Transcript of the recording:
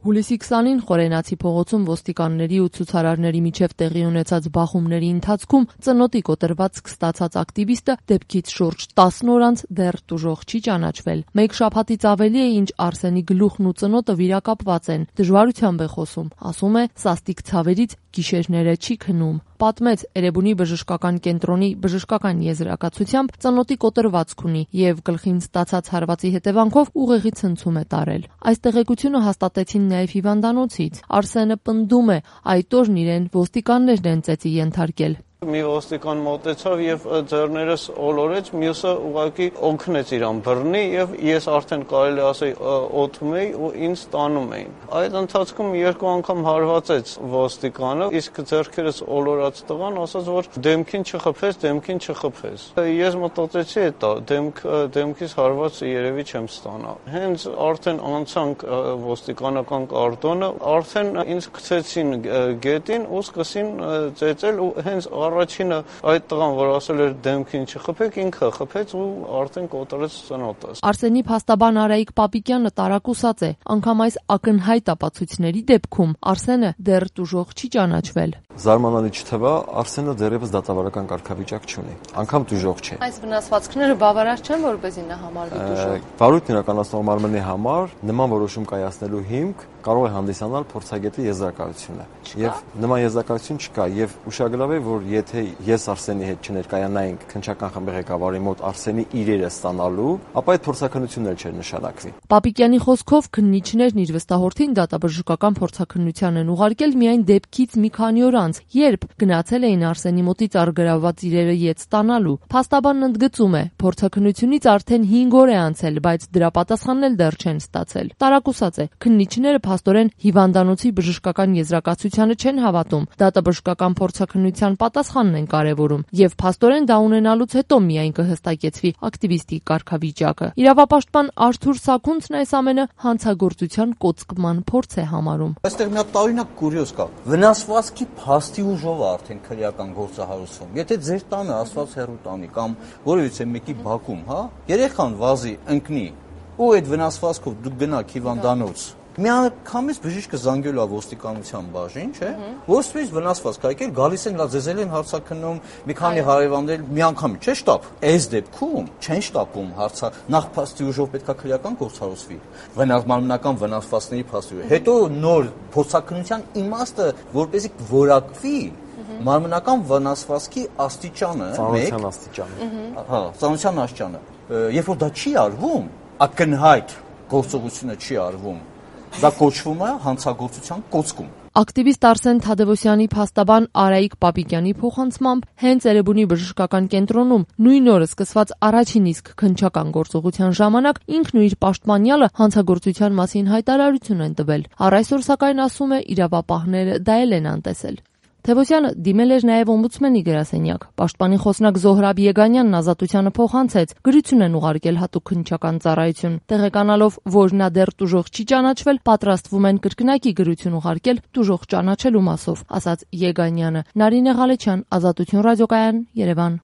Հուլիսի 20-ին Խորենացի փողոցում ոստիկանների ու ցուցարարների միջև տեղի ունեցած բախումների ընթացքում ծնոտի կոտրված ստացած ակտիվիստը դեպքից շուրջ 10 օր անց դեռ տուժող չի ճանաչվել։ Մեկ շաբաթից ավելի է, ինչ Արսենի գլուխն ու ծնոտը վիրակապված են, դժվարությամբ է խոսում, ասում է, սաստիկ ցավերից գիշերները չի քնում։ Պատմեց Էրեբունի բժշկական կենտրոնի բժշկական եզրակացությամբ ծնոտի կոտրվածք ունի եւ գլխին ստացած հարվածի հետևանքով ուղեղի ցնցում է տարել։ Այս տեղեկությունը հաստատեցին նաեւ հիվանդանոցից։ Արսենը պնդում է, այդ օրն իրեն ոստիկաններն են ծեծի ենթարկել։ Մի ոստիկան մոտեցավ եւ ձեռներս ոլորեց, մյուսը ուղղակի օգնեց իրան բռնի եւ ես արդեն կարելի ասել օդում էի ու ինձ տանում էին։ Այդ ընթացքում 2 անգամ հարվածեց ոստիկանը, իսկ ձեռքերս ոլորած տղան ասաց, որ դեմքին չխփես։ Ես մտածեցի, էտա դեմքից հարված երևի չեմ ստանա։ Հենց արդեն անցանք ոստիկանական կարտոնը, արդեն ինձ գցեցին գետին ու սկսին ծեծել ու հենց առաջինը այդ տղան, որ ասել էր դեմքին չխփեք, ինքը խփեց ու արդեն կոտրեց ծնոտս։ Արսենի փաստաբան Արայիկ Պապիկյանը տարակուսած է, անգամ այս ակնհայտ ապացույցների դեպքում Արսենը դեռ տուժող չի ճանաչվել։ Զարմանալի չթվա, Արսենը դեռևս դատավարական կարգավիճակ չունի, անգամ տուժող չէ։ Այս վնասվածքները բավարար չեն, որպեսզի նա համարվի տուժող։ Վարույթն իրականացնող մարմնի համար նման որոշում կայացնելու հիմք կարող է հանդիսանալ փորձագետի եզրակացությունը։ Եվ նման եզրակացություն չկա, եւ ուշագրավ է, որ եթե ես Արսենի հետ չներկայանայինք քննչական խմբի ղեկավարի մոտ Արսենի իրերը ստանալու, ապա այդ փորձաքննությունն էլ չէր նշանակվի։ Պապիկյանի խոսքով քննիչներն իր վստահորդին դատաբժշկական փորձաքննության են ուղարկել միայն դեպքից մի քանի օր անց, երբ գնացել էին Արսենի մոտից առգրավված իրերը ետ ստանալու։ Փաստաբանն ընդգծում է, փորձաքննությունից արդեն 5 օր է անցել, բայց դրա պատասխանն էլ դեռ չեն ստացել։ Տարակուսած է, քննիչները փաստորեն հիվանդանոցի բժշկական եզրակացությանը չեն հավատում, դատաբժշկական փորձաքննության պատասխանն են կարևորում, եւ փաստորեն դա ունենալուց հետո միայն կհստակեցվի ակտիվիստի կարգավիճակը։ Իրավապաշտպան Արթուր Սաքունցն այս ամենը հանցագործության կոծկման փորձ է համարում։ Այստեղ մի հատ տարօրինակ կուրիոզ կա։ Վնասվածքի փաստի ուժով է արդեն քրեական գործահարուցում։ Եթե ձեր տանը ասված հեռու տանի կամ որևիցե մեկի բակում, երեխան վազի ընկնի ու այդ վնասվածքով դուք գնաք հիվանդանոց, միանգամից բժիշկը զանգելու է ոստիկանության բաժին, չէ՞, որ սպից վնասված կայքեր գալիս են, ձեզ են հարցաքննում, մի քանի հարևաններ միանգամից, չէ՞ շտապ։ Այս դեպքում չեն շտապում հարցը, նախ փաստի ուժով պետքա քրեական գործարուցվի, մարմնական վնասվածքների փաստի ուժով։ Հետո նոր փորձաքննության իմաստը, որպեսզի որակվի մարմնական վնասվածքի աստիճանը, ծանրության աստիճանը։ Ծանրության աստիճանը։ Երբ որ դա չի արվում, ակնհայտ գործողությունը չի արվում, դա կոչվում է հանցագործության կոծկում։ Ակտիվիստ Արսեն Թադևոսյանի փաստաբան Արայիկ Պապիկյանի փոխանցմամբ հենց Էրեբունի բժշկական կենտրոնում նույն օրը սկսված առաջին իսկ քննչական գործողության ժամանակ ինքն ու իր պաշտպանյալը հանցագործության մասին հայտարարություն են տվել։ Առ այսօր սակայն ասում է իրավապահները դա էլ են անտեսել։ Թևոսյանը դիմել էր նաև օմբուդսմենի գրասենյակ։ Պաշտպանի խոսնակ Զոհրաբ Եգանյանն Ազատությանը փոխանցեց, գրություն են ուղարկել հատուկ քննչական ծառայություն։ Տեղեկանալով, որ նա դեռ տուժող չի ճանաչվել, պատրաստվում են կրկնակի գրություն ուղարկել տուժող ճանաչելու մասով, ասաց Եգանյանը։ Նարինե Ղալեչյան, Ազատություն ռադիոկայան, Երևան։